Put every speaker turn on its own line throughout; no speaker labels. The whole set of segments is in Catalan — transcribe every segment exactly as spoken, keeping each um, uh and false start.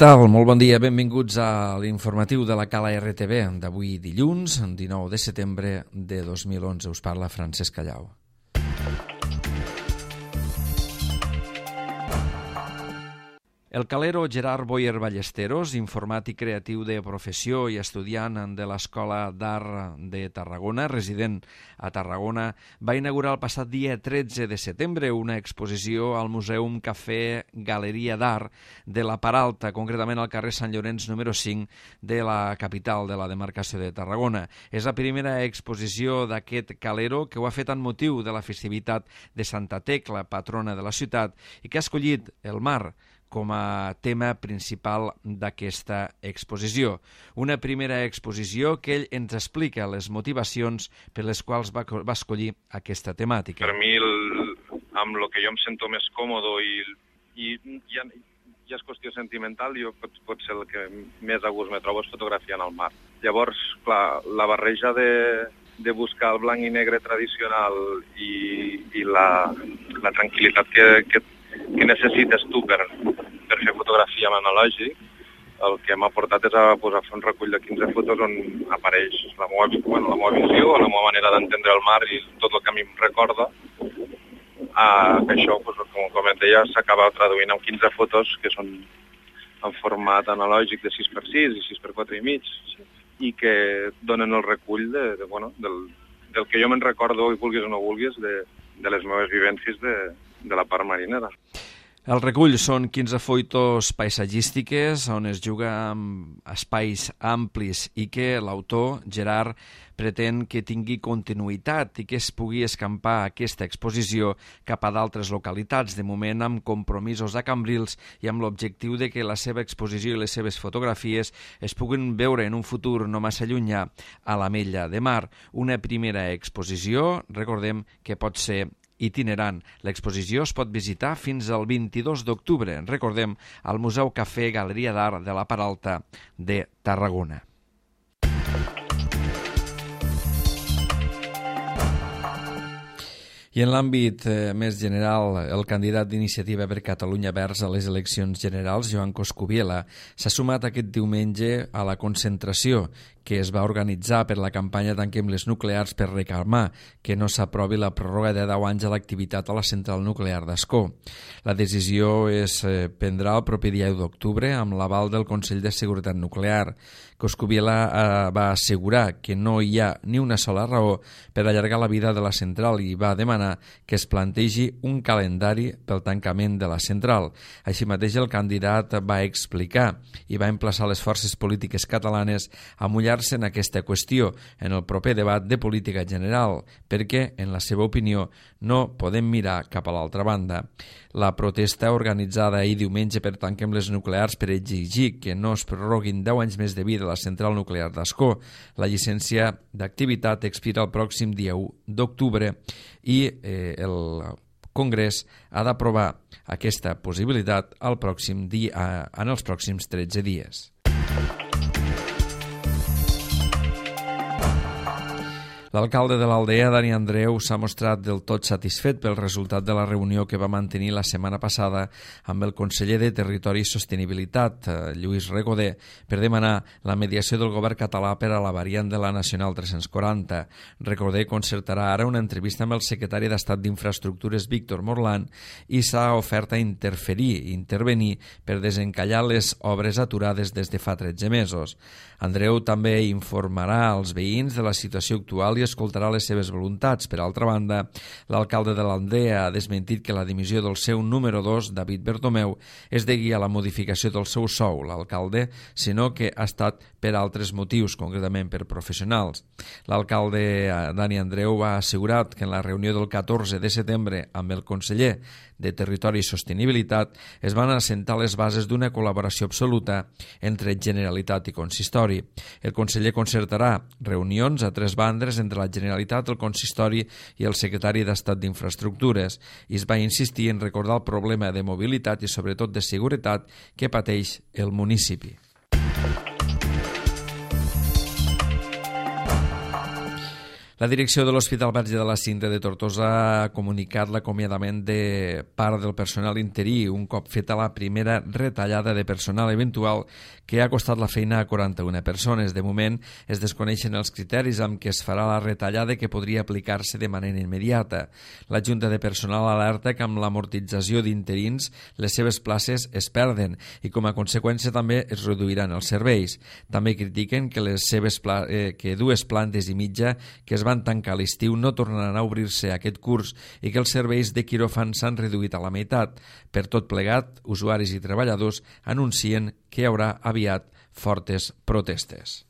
Tal? Molt bon dia, benvinguts a l'informatiu de la Cala R T V d'avui dilluns, dinou de setembre de dos mil onze. Us parla Francesc Callau. El calero Gerard Boyer Ballesteros, informàtic creatiu de professió i estudiant de l'Escola d'Art de Tarragona, resident a Tarragona, va inaugurar el passat dia tretze de setembre una exposició al Museum Cafè Galeria d'Art de la Peralta, concretament al carrer Sant Llorenç número cinc de la capital de la demarcació de Tarragona. És la primera exposició d'aquest calero que ho ha fet en motiu de la festivitat de Santa Tecla, patrona de la ciutat, i que ha escollit el mar com a tema principal d'aquesta exposició. Una primera exposició que ell ens explica les motivacions per les quals va, va escollir aquesta temàtica.
Per mi, el, amb el que jo em sento més còmodo i, i ja, ja és qüestió sentimental, jo pot, pot ser el que més a gust me trobo és fotografiant el mar. Llavors, clar, la barreja de, de buscar el blanc i negre tradicional i, i la, la tranquil·litat que, que que necessites tu per, per fer fotografia amb analògic, el que m'ha portat és a posar fer un recull de quinze fotos on apareix la meva, bueno, la meva visió, la meva manera d'entendre el mar i tot el que a mi em recorda. Ah, que això, doncs, com, com et deia, s'acaba traduint en quinze fotos que són en format analògic de sis per sis i sis per quatre i mig i que donen el recull de, de, bueno, del, del que jo me'n recordo, i vulguis o no vulguis, de, de les meves vivències de de la part marinera.
El recull són quinze fotos paisatgístiques on es juga amb espais amplis i que l'autor, Gerard, pretén que tingui continuïtat i que es pugui escampar aquesta exposició cap a d'altres localitats, de moment amb compromisos a Cambrils i amb l'objectiu de que la seva exposició i les seves fotografies es puguin veure en un futur no massa llunyà a l'Ametlla de Mar. Una primera exposició, recordem que pot ser itinerant. L'exposició es pot visitar fins al vint-i-dos d'octubre, recordem, al Museu Cafè Galeria d'Art de la Peralta de Tarragona. I en l'àmbit eh, més general, el candidat d'Iniciativa per Catalunya Verds a les eleccions generals, Joan Coscubiela, s'ha sumat aquest diumenge a la concentració que es va organitzar per la campanya Tanquem les nuclears per reclamar que no s'aprovi la pròrroga de deu anys a l'activitat a la central nuclear d'Ascó. La decisió es eh, prendrà el proper dia u d'octubre amb l'aval del Consell de Seguretat Nuclear. Coscubiela eh, va assegurar que no hi ha ni una sola raó per allargar la vida de la central i va demanar que es plantegi un calendari pel tancament de la central. Així mateix el candidat va explicar i va emplaçar les forces polítiques catalanes a mullar-se en aquesta qüestió en el proper debat de política general, perquè, en la seva opinió, no podem mirar cap a l'altra banda. La protesta organitzada ahir diumenge per Tanquem les nuclears per exigir que no es prorroguin deu anys més de vida a la central nuclear d'Ascó. La llicència d'activitat expira el pròxim dia u d'octubre i eh, el Congrés ha d'aprovar aquesta possibilitat el pròxim dia, en els pròxims tretze dies. L'alcalde de l'Aldea, Dani Andreu, s'ha mostrat del tot satisfet pel resultat de la reunió que va mantenir la setmana passada amb el conseller de Territori i Sostenibilitat, Lluís Recoder, per demanar la mediació del govern català per a la variant de la Nacional tres-cents quaranta. Recoder concertarà ara una entrevista amb el secretari d'Estat d'Infraestructures, Víctor Morlan, i s'ha ofert a interferir i intervenir per desencallar les obres aturades des de fa tretze mesos. Andreu també informarà als veïns de la situació actual i escoltarà les seves voluntats. Per altra banda, l'alcalde de l'Aldea ha desmentit que la dimissió del seu número dos, David Bertomeu, es degui a la modificació del seu sou, l'alcalde, sinó que ha estat per altres motius, concretament per professionals. L'alcalde Dani Andreu ha assegurat que en la reunió del catorze de setembre amb el conseller de Territori i Sostenibilitat es van assentar les bases d'una col·laboració absoluta entre Generalitat i Consistori. El conseller concertarà reunions a tres bandes entre la Generalitat, el Consistori i el secretari d'Estat d'Infraestructures i es va insistir en recordar el problema de mobilitat i sobretot de seguretat que pateix el municipi. La direcció de l'Hospital Verge de la Cinta de Tortosa ha comunicat l'acomiadament de part del personal interí un cop feta la primera retallada de personal eventual que ha costat la feina a quaranta-una persones. De moment es desconeixen els criteris amb què es farà la retallada que podria aplicar-se de manera immediata. La Junta de Personal alerta que amb l'amortització d'interins les seves places es perden i com a conseqüència també es reduiran els serveis. També critiquen que les seves pla eh, que dues plantes i mitja que es van tancar a l'estiu no tornaran a obrir-se aquest curs i que els serveis de quiròfan s'han reduït a la meitat. Per tot plegat, usuaris i treballadors anuncien que hi haurà aviat fortes protestes.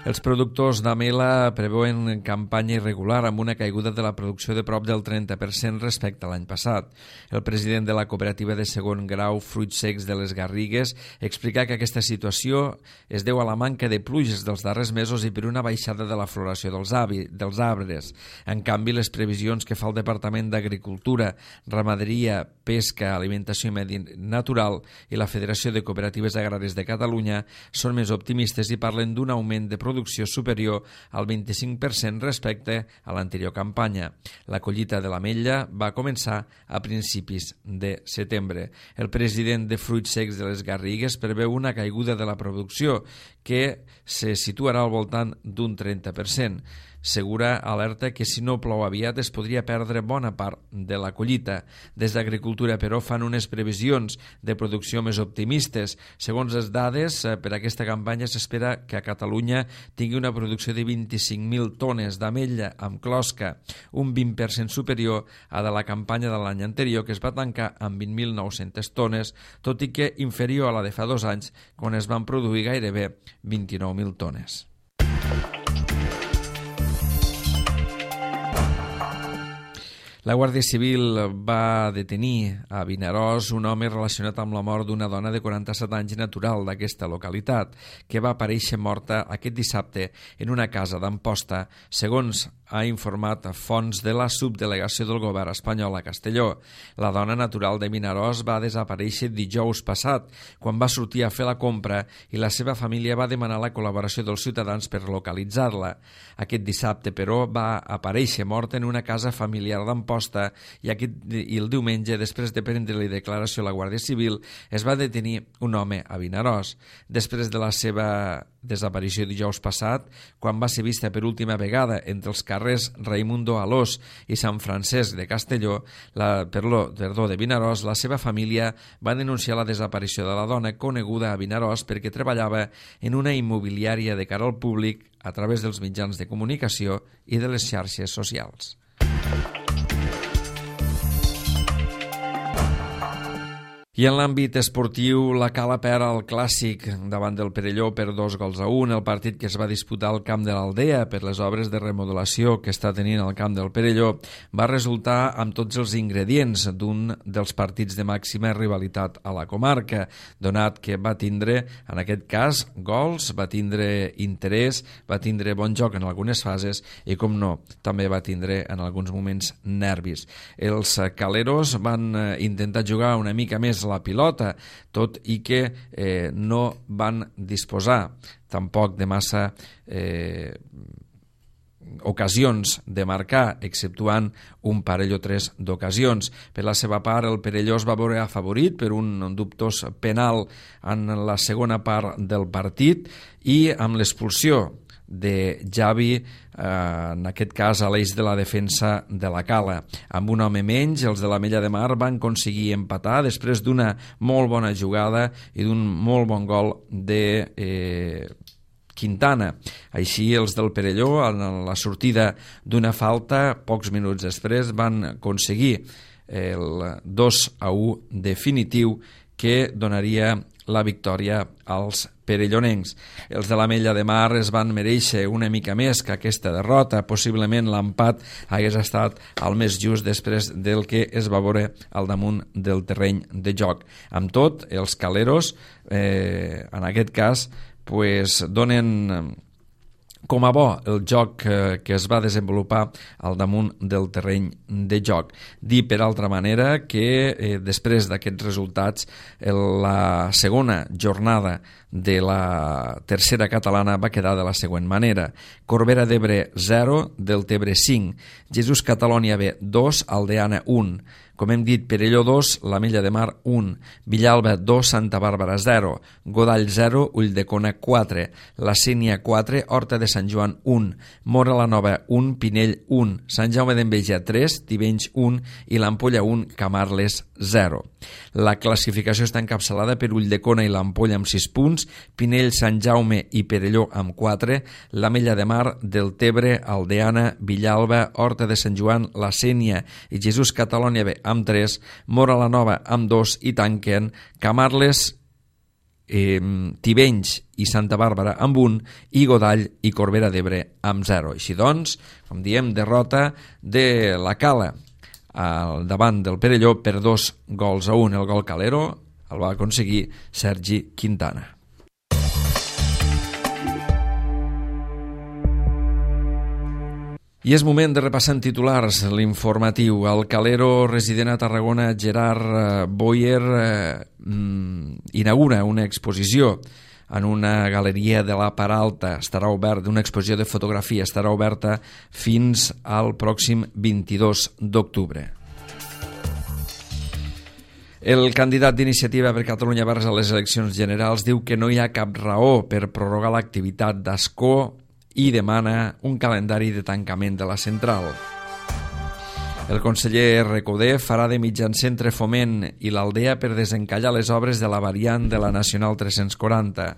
Els productors d'Amela preveuen campanya irregular amb una caiguda de la producció de prop del trenta per cent respecte a l'any passat. El president de la cooperativa de segon grau Fruits Secs de les Garrigues explica que aquesta situació es deu a la manca de pluges dels darrers mesos i per una baixada de la floració dels, avi, dels arbres. En canvi, les previsions que fa el Departament d'Agricultura, Ramaderia, Pesca, Alimentació i Medi Natural i la Federació de Cooperatives Agràries de Catalunya són més optimistes i parlen d'un augment de producció producció superior al vint-i-cinc per cent respecte a l'anterior campanya. La collita de l'ametlla va començar a principis de setembre. El president de Fruits Secs de les Garrigues preveu una caiguda de la producció que se situarà al voltant d'un trenta per cent. Segura alerta que si no plou aviat es podria perdre bona part de la collita. Des d'Agricultura, però, fan unes previsions de producció més optimistes. Segons les dades, per aquesta campanya s'espera que a Catalunya tingui una producció de vint-i-cinc mil tones d'ametlla amb closca, un vint per cent superior a de la campanya de l'any anterior, que es va tancar amb vint mil nou-centes tones, tot i que inferior a la de fa dos anys, quan es van produir gairebé vint-i-nou mil tones. La Guàrdia Civil va detenir a Vinaròs un home relacionat amb la mort d'una dona de quaranta-set anys natural d'aquesta localitat, que va aparèixer morta aquest dissabte en una casa d'Amposta, segons ha informat fonts de la subdelegació del govern espanyol a Castelló. La dona natural de Vinaròs va desaparèixer dijous passat, quan va sortir a fer la compra i la seva família va demanar la col·laboració dels ciutadans per localitzar-la. Aquest dissabte, però, va aparèixer morta en una casa familiar d'Amposta i, aquest, i el diumenge, després de prendre-li declaració a la Guàrdia Civil, es va detenir un home a Vinaròs. Després de la seva desaparició dijous passat, quan va ser vista per última vegada entre els carrers Raimundo Alós i Sant Francesc de Castelló, la, perdó, perdó, de Vinaròs, la seva família va denunciar la desaparició de la dona coneguda a Vinaròs perquè treballava en una immobiliària de cara al públic a través dels mitjans de comunicació i de les xarxes socials. I en l'àmbit esportiu, la Cala perd el clàssic davant del Perelló per dos gols a un. El partit que es va disputar al camp de l'Aldea per les obres de remodelació que està tenint el camp del Perelló va resultar amb tots els ingredients d'un dels partits de màxima rivalitat a la comarca, donat que va tindre, en aquest cas, gols, va tindre interès, va tindre bon joc en algunes fases i, com no, també va tindre en alguns moments nervis. Els caleros van intentar jugar una mica més la pilota, tot i que eh, no van disposar tampoc de massa eh, ocasions de marcar, exceptuant un parell o tres d'ocasions. Per la seva part, el Perelló es va veure afavorit per un dubtós penal en la segona part del partit i amb l'expulsió de Javi, eh, en aquest cas a l'eix de la defensa de la Cala. Amb un home menys, els de l'Ametlla de Mar van aconseguir empatar després d'una molt bona jugada i d'un molt bon gol de eh, Quintana. Així, els del Perelló, en la sortida d'una falta, pocs minuts després, van aconseguir el dos a u definitiu que donaria la victòria als perellonencs. Els de l'Ametlla de Mar es van mereixer una mica més que aquesta derrota. Possiblement l'empat hagués estat el més just després del que es va veure al damunt del terreny de joc. Amb tot, els caleros, eh, en aquest cas, pues, donen Com a bo el joc eh, que es va desenvolupar al damunt del terreny de joc. Dir, per altra manera, que eh, després d'aquests resultats eh, la segona jornada de la tercera catalana va quedar de la següent manera: Corbera d'Ebre zero, Deltebre cinc, Jesús Catalònia B dos, Aldeana un, com hem dit, Perelló dos, l'Ametlla de Mar un, Villalba dos, Santa Bàrbara zero, Godall zero, Ulldecona quatre, La Sénia quatre, Horta de Sant Joan un, Móra la Nova un, Pinell un, Sant Jaume d'Enveja tres, Tivenys un i l'Ampolla un, Camarles zero. La classificació està encapçalada per Ulldecona i l'Ampolla amb sis punts, Pinell, Sant Jaume i Perelló amb quatre, l'Ametlla de Mar, Deltebre, Aldeana, Villalba, Horta de Sant Joan, La Sénia i Jesús Catalònia B amb tres, Móra la Nova amb dos i tanquen Camarles, eh, Tivenys i Santa Bàrbara amb un i Godall i Corbera d'Ebre amb zero. Així doncs, com diem, derrota de la Cala al davant del Perelló per dos gols a un. El gol calero el va aconseguir Sergi Quintana. I és moment de repassar en titulars l'informatiu. El calero resident a Tarragona, Gerard Boyer, eh, inaugura una exposició en una galeria de la Peralta. Estarà obert, una exposició de fotografia, estarà oberta fins al pròxim vint-i-dos d'octubre. El candidat d'Iniciativa per Catalunya Verds a les eleccions generals diu que no hi ha cap raó per prorrogar l'activitat d'Ascó i demana un calendari de tancament de la central. El conseller Recoder farà de mitjancer entre Foment i l'Aldea per desencallar les obres de la variant de la Nacional tres-cents quaranta.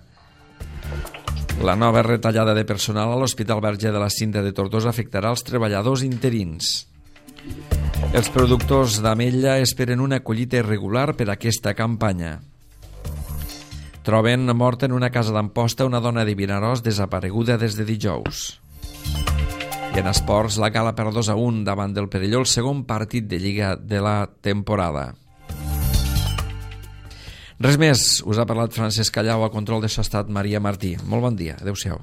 La nova retallada de personal a l'Hospital Verge de la Cinta de Tortosa afectarà els treballadors interins. Els productors d'ametlla esperen una collita irregular per aquesta campanya. Troben morta en una casa d'Amposta una dona de Vinaròs desapareguda des de dijous. I en esports, la Cala per dos a un davant del Perelló, el segon partit de Lliga de la temporada. Res més, us ha parlat Francesc Callau, a control de so ha estat Maria Martí. Molt bon dia, adeu-siau.